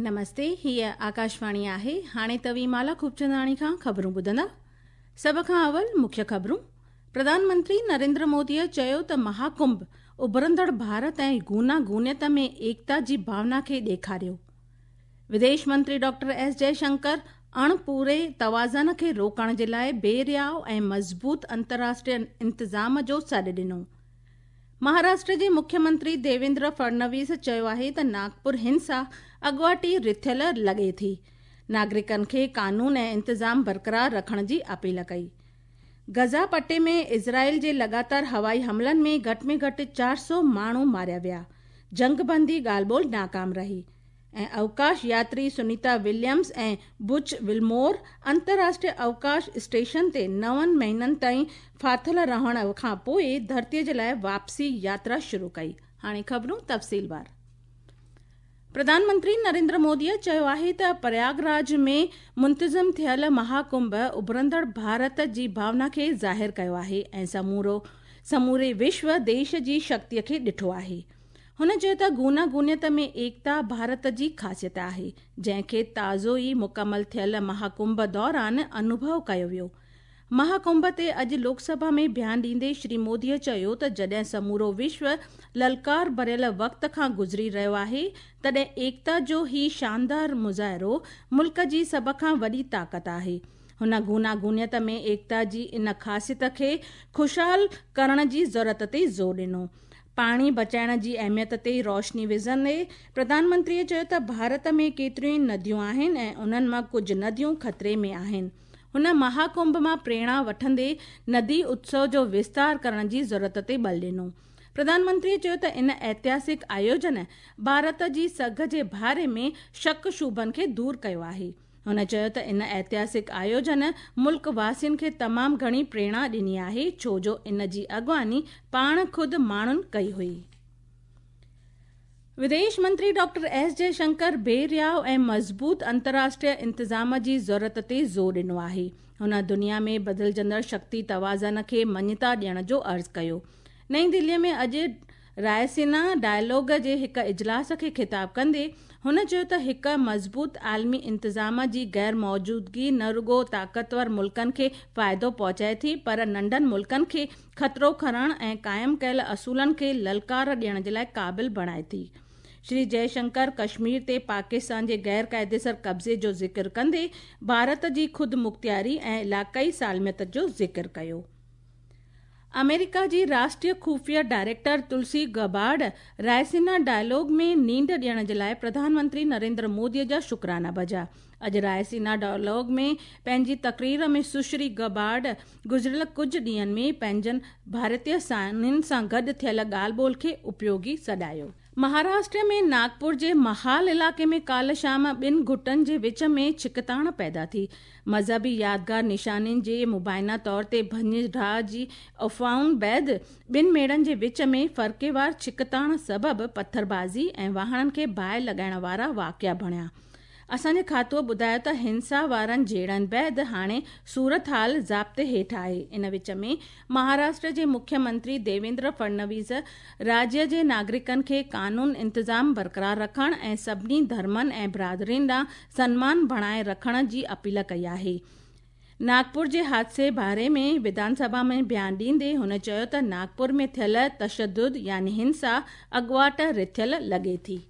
نمستي، هيء آڪاشواڻي آهي. هاڻي توهين مالا خوبچنداڻي کان خبرون ٻڌندا. سڀ کان اول مکيه خبرون. پرڌان منتري نريندر موديء چيو ته مهاڪنڀ اڀرندڙ ڀارت ۽ گونا گونيت ۾ ايڪتا جي ڀاونا کي ڏيکاريو. وديش منتري ڊاڪٽر ايس جئشنڪر اڻپوري توازن کي روڪڻ جي لاء بي رياء ۽ مضبوط انترراشٽريه انتظام جو سڏ ڏنو. مهاراشٽر جي مکيه منتري ديويندر فڙنويس چيو آهي ته ناگپور هنسا اڳواٽ ئي رٿيل لڳي ٿي. ناگرڪن کي قانون ۽ انتظام برقرار رکڻ جي اپيل ڪئي. غزه پٽي ۾ اسرائيل جي لڳاتار هوائي حملن ۾ گهٽ ۾ گهٽ 400 ماڻهو ماريا ويا. جنگ بندي ڳالهه ٻولهه ناڪام رهي. ۽ اوڪاش ياتري سنيتا وليمز ۽ بچ ولمور انترراشٽريه اوڪاش اسٽيشن تي نون مهينن تائين ڦاٿل رهڻ کان پوء ڌرتي جي لاء واپسي ياترا شروع ڪئي. هاڻي خبرون تفصيلوار. پرڌان منتري نريندر موديء چيو آهي ته پرياگ راج ۾ منتظم ٿيل مهاڪنڀ اڀرندڙ ڀارت جي ڀاونا کي ظاهر ڪيو آهي ۽ سمورو سموري وشو ديش جي شڪتي کي ڏٺو آهي. هن چيو ته گونا گونيت ۾ ايڪتا ڀارت جي خاصيت آهي، جنهن کي تازو ئي مڪمل ٿيل مهاڪنڀ دوران انوڀو ڪيو ويو. مهاڪنڀ تي اڄ لوڪ سڀا ۾ بيان ڏيندي شري موديء چيو ته جڏهن سمورو وشو للڪار ڀريل وقت کان گذري رهيو آهي، تڏهن ايڪتا جو هي شاندار مظاهرو ملڪ جي سڀ کان وڏي طاقت آهي. هن گونا گونيت ۾ ايڪتا جي ان خاصيت کي خوشحال ڪرڻ جي ضرورت تي زور ڏنو. پاڻي بچائڻ جي اهميت تي روشني وجهندي پرڌان منتريء چيو ته ڀارت ۾ ڪيتريون ئي نديون آهن ۽ انهن مان ڪجهه نديون خطري ۾ آهن. هن مهاڪنڀ مان پريرڻا وٺندي ندي اتسو جو وستار ڪرڻ جي ضرورت تي ٻل ڏنو. پرڌان منتريء چيو ته ان ائتهاسڪ آيوجن ڀارت جي سگهه جي باري ۾ شڪ شبهن کي دور ڪيو آهي. هن چيو ته ان ائتهاسڪ آيوجن ملڪ واسين کي تمام گهڻي پريرڻا ڏني آهي ڇو جو ان جي اڳواڻي پاڻ خود ماڻهن ڪئي هئي. وديش منتري ڊاڪٽر ايس جئشنڪر بي رياء ۽ مضبوط انترراشٽريه انتظام جي ضرورت تي زور ڏنو آهي. هن دنيا ۾ بدلجندڙ شڪتي توازن کي مڃتا ڏيڻ جو عرض ڪيو. نئين دهلي ۾ اڄ رائسينا ڊائلاگ جي هڪ اجلاس کي خطاب ڪندي هن چيو ته هڪ مضبوط عالمي انتظام جي غير موجودگي نه رڳو طاقتور ملڪن کي فائدو پهچائي ٿي پر ننڍن ملڪن کي خطرو کڻڻ ۽ قائم ڪيل اصولن کي للڪار ڏيڻ جي لاء قابل بڻائي ٿي. شري جئه شنڪر ڪشمير تي پاڪستان جي غير قاعديسر قبضي جو ذڪر ڪندي ڀارت جي خودمختياري ۽ علائقائي سالميت جو ذڪر ڪيو. آمريڪا جي راشٽريه خفيه director Tulsi Gabbard Raisina dialogue ۾ نينڍ ڏيڻ جي لاء پرڌان منتري نريندر مودي جا شڪرانا بجا. اڄ رائسينا ڊائلاگ ۾ پنهنجي تقرير ۾ سشري گبارڊ گذريل ڪجهه ڏينهن ۾ پنهنجن ڀارتي ساٿين سان گڏ ٿيل ڳالهه ٻولهه کي اپيوگي سڏايو. مهاراشٽر ۾ ناگپور جي محال علائقي ۾ ڪالهه شام ٻن گٽن جي وچ ۾ ڇڪتاڻ پيدا ٿي. مذهبي يادگار نشانين جي مبينا طور تي ڀڃ ڊاهه جي افواهن بعد ٻن ميڙن جي وچ ۾ فرقيوار ڇڪتاڻ سبب پٿربازي ۽ واهڻن کي باهه لڳائڻ وارا واقعا بڻيا. اسان جي کاتوء ٻڌايو ته هنسا وارن جهيڙن بعد هاڻي صورتحال ضابطي هيٺ آهي. ان وچ ۾ مهاراشٽر جي مکيه منتري ديويندر فڙنويس راجيه جي ناگرڪن کي قانون انتظام برقرار رکڻ ۽ سڀني ڌرمن ۽ برادرين ڏانهن سنمان بڻائي رکڻ جي اپيل ڪئي آهي. ناگپور جي حادثي باري ۾ وڌان سڀا ۾ بيان ڏيندي هن چيو ته ناگپور ۾ ٿيل تشدد يعني هنسا اڳواٽ رٿيل لڳي ٿي.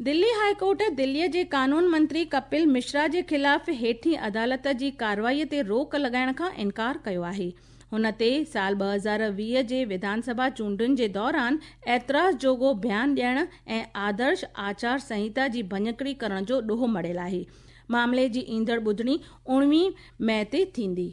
دلي هاء ڪورٽ دلي جي قانون منتري ڪپل مشرا جي خلاف هيٺين عدالت جي ڪارروائي تي روڪ لڳائڻ کان انڪار ڪيو آهي. هن تي سال 2020 جي وڌان سڀا چونڊن جي دوران اعتراض جوڳو بيان ڏيڻ ۽ آدرش آچار سنهتا جي ڀڃڪڙي ڪرڻ جو ڏوهه مڙهيل آهي. معاملي جي ايندڙ ٻڌڻي 19 مئي تي ٿيندي.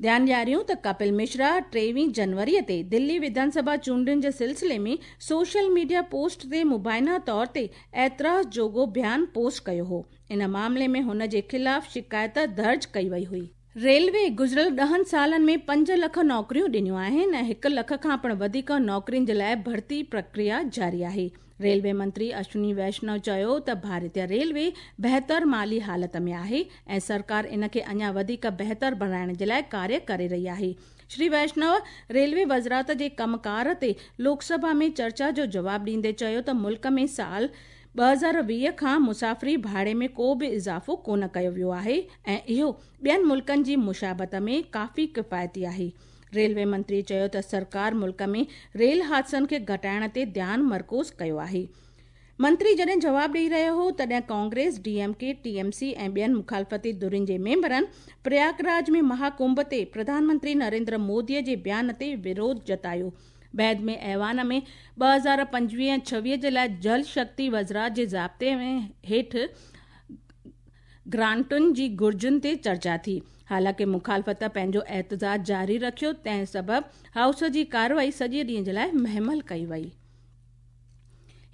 ڌيان ڏياريون ته ڪپل مشرا 23 جنوري تي دلي وڌان سڀا چونڊن جي سلسلي ۾ سوشل ميڊيا پوسٽ تي مبينا طور تي اعتراض جوڳو بيان پوسٽ ڪيو هو. ان معاملي ۾ هن جي خلاف شڪايت درج ڪئي وئي هئي. ريلوي گذريل ڏهن سالن ۾ 5 لک نوڪريون ڏنيون آهن ۽ 1 لک کان پڻ وڌيڪ نوڪرين جي لاء ڀرتي پرڪريا جاري آهي. ريلوي منتري اشوني ويشنو چيو ته ڀارتيه ريلوي بهتر مالي حالت ۾ آهي ۽ سرڪار ان کي اڃا وڌيڪ بهتر بڻائڻ جي لاء ڪاريه ڪري رهي آهي. شري ويشنو ريلوي وزارت جي ڪم ڪار تي لوڪ سڀا ۾ چرچا جو جواب ڏيندي چيو ته ملڪ ۾ سال 2020 کان مسافري ڀاڙي ۾ ڪو به اضافو ڪونه ڪيو ويو آهي ۽ اهو ٻين ملڪن جي مشابهت ۾ ڪافي ڪفايتي آهي. ريلوي منتري چيو ته سرڪار ملڪ ۾ ريل حادثن کي گهٽائڻ تي ڌيان مرڪوز ڪيو آهي. منتري جڏهن جواب ڏئي رهيو هو تڏهن Congress, D M K, T M C ۽ ٻين مخالفتي ڌرين جي ميمبرن پرياگراج ۾ مهاڪنڀ تي پرڌان منتري نريندر مودي جي بيان تي وروڌ جتايو. بعد ۾ ايوان ۾ 2025 ۽ 26 جي لاءِ جل شڪتي وزارت جي ضابطي ۾ هيٺ گرانٽن جي گهرجن تي چرچا ٿي. حالانڪه مخالفت پنهنجو احتجاج جاري رکيو، تنهن سبب هائوس جي ڪارروائي سڄي ڏينهن جي لاءِ مهمل ڪئي وئي.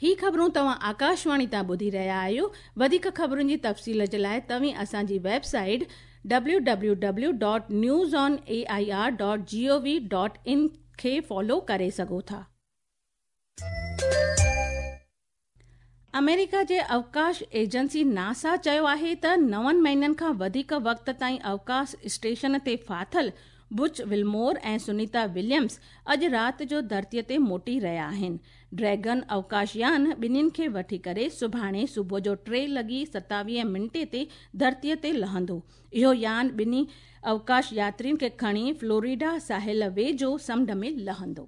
هي خبرون توهان آڪاشواڻي تان ٻڌي رهيا آهيو. وڌيڪ خبرن جي تفصيل جي لاءِ توهين اسان جي web site www.newsonair.gov.in کي فالو ڪري سگهو ٿا. آمريڪا جي اوڪاش ايجنسي ناسا چيو آهي ته 9 مهينن کان وڌيڪ وقت تائين اوڪاش اسٽيشن تي ڦاٿل بچ ولمور ۽ سنيتا وليمز اڄ رات جو ڌرتيءَ تي موٽي رهيا آهن. ڊريگن اوڪاش يان ٻنهين کي وٺي ڪري سڀاڻي صبح جو 3:27 تي ڌرتيءَ تي لهندو. اهو يان ٻنهي اوڪاش ياترين کي کڻي فلوريڊا ساحل ويجهو سمنڊ ۾ لهندو.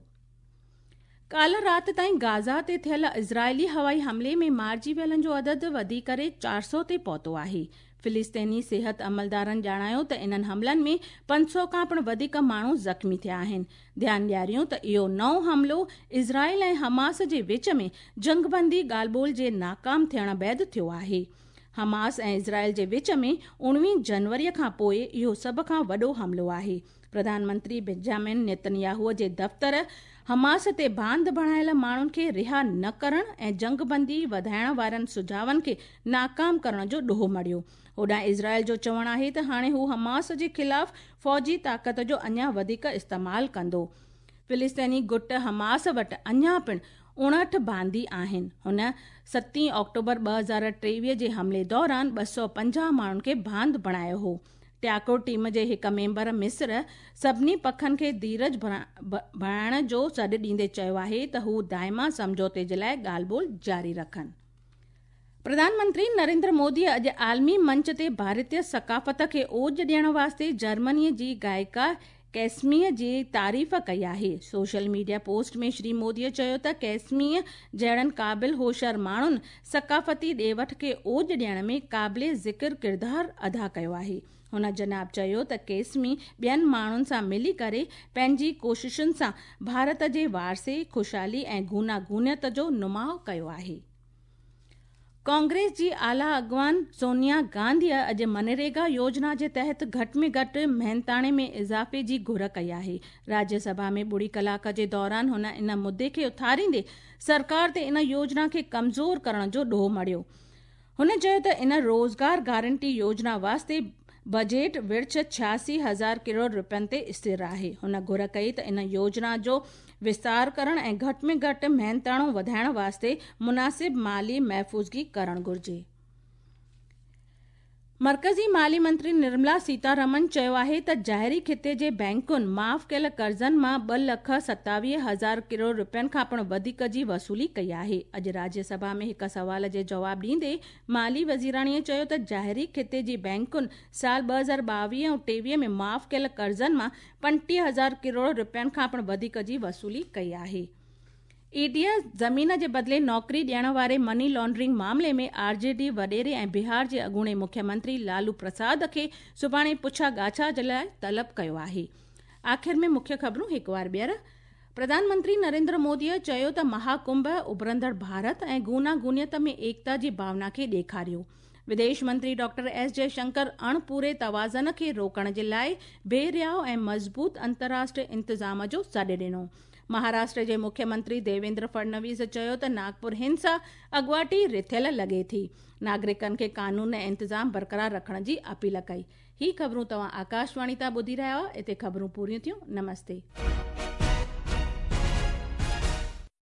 ڪالهه رات تائين گازا تي ٿيل اسرائيلي هوائي حملي ۾ مارجي ويلن جو عدد وڌي ڪري 400 تي پهتو آهي. فلسطيني صحت عملدارن ڄاڻايو ته انهن حملن ۾ 500 کان پڻ وڌيڪ ماڻهو زخمي ٿيا آهن. ڌيان ڏياريون ته اهو نئون حملو اسرائيل ۽ حماس جي وچ ۾ جنگبندي ڳالهه ٻولهه جي ناڪام ٿيڻ بعد ٿيو آهي. حماس ۽ اسرائيل جي وچ ۾ 19 جنوري کان پوءِ اهو سڀ کان وڏو حملو آهي. پرڌان منتري بنجامن نيتنياهو جي دفتر حماس تي باند بڻايل ماڻهن کي رها نه ڪرڻ ۽ جنگبندي وڌائڻ وارن سجهاون کي ناڪام ڪرڻ جو ڏوهه مڙهيو. هوڏانهن اسرائيل جو چوڻ آهي ته هاڻي هو حماس جي خلاف فوجي طاقت جو اڃا وڌيڪ استعمال ڪندو. فلسطيني گٽ حماس وٽ اڃا پڻ 59 باندي آهن. هن 7 آڪٽوبر 2023 جي حملي دوران 250 ماڻهن کي باند بڻايو هو. ٽياڪو ٽيم جي هڪ ميمبر مصر سڀني پکن کي ڌيرج بڻائڻ جو سڏ ڏيندي چيو آهي ته هو دائما سمجهوتي جي لاءِ ڳالهه ٻولهه جاري رکن. پرڌان منتري نريندر مودي اڄ عالمي منچ تي ڀارتيه ثقافت کي اوج ڏيڻ واسطي جرمني جي گائڪا ڪيسميءَ جي تعريف ڪئي آهي. سوشل ميڊيا پوسٽ ۾ شري موديءَ چيو ته ڪيسميءَ جهڙن قابل هوشيار ماڻهن ثقافتي ڏي وٺ کي اوج ڏيڻ ۾ قابل ذڪر ڪردار ادا ڪيو آهي. هن جناب چيو ته ڪيسمي ٻين ماڻهن سان ملي ڪري پنهنجي ڪوششن سان ڀارت جي وارثي، خوشحالي ۽ گوناگونيت جو نماءُ ڪيو آهي. ڪانگريس جي اعليٰ اڳواڻ سونيا گانڌيءَ اڄ منريگا يوجنا جي تحت گهٽ ۾ گهٽ محنتاڻي ۾ اضافي جي گهر ڪئي آهي. راجيه سڀا ۾ ٻڙي ڪلاڪ جي دوران هن ان مدعي کي اٿاريندي سرڪار تي ان يوجنا کي ڪمزور ڪرڻ جو ڏوهه مڙهيو. هن چيو ته ان روزگار گارنٽي يوجنا واسطي بجيٽ ورڇ 86,000 ڪروڙ رپين تي اسٿر آهي. هن گهر ڪئي ته ان يوجنا جو وستار ڪرڻ ۽ گهٽ ۾ گهٽ محنتاڻو وڌائڻ واسطي مناسب مالي محفوظگي ڪرڻ گهرجي. مرڪزي مالي منتري نرملا سيتارمن چيو آهي ته ظاهري خطي جي بينڪن معاف ڪيل قرضن مان 2,27,000 ڪروڙ رپين کان پڻ وڌيڪ جي وصولي ڪئي آهي. اڄ راجيه سڀا ۾ هڪ سوال جي جواب ڏيندي مالي وزيراڻيءَ چيو ته ظاهري خطي جي بينڪن سال 2022 ۽ 23 ۾ معاف ڪيل قرضن مان 35,000 ڪروڙ رپين کان پڻ وڌيڪ جي وصولي ڪئي آهي. اي ڊي زمين جي بدلي نوڪري ڏيڻ واري مني لانڊرنگ معاملي ۾ آر جي ڊي وڏيري ۽ بهار جي اڳوڻي مکيه منتري لالو پرساد کي سڀاڻي پڇا ڳاڇا جي لاءِ طلب ڪيو آهي. آخر ۾ مکيه خبرون هڪ وار ٻيهر. پرڌان منتري نريندر موديءَ چيو ته مهاڪنڀ اڀرندڙ ڀارت ۽ گوناگونيت ۾ ايڪتا جي ڀاونا کي ڏيکاريو. وديش منتري ڊاڪٽر ايس جئشنڪر اڻپوري توازن کي روڪڻ جي لاءِ بي رياءُ ۽ مضبوط انترراشٽريه انتظام جو سڏ ڏنو. مهاراشٽر جي مکيه منتري ديويندر فڙنويس چيو ته ناگپور هنسا اڳواٽي رٿيل لڳي ٿي. ناگرڪن کي قانون ۽ انتظام برقرار رکڻ جي اپيل ڪئي. هي خبرون توهان آڪاشواڻي تان ٻڌي رهيا هئا. هتي خبرون پوريون ٿيون. نمستي.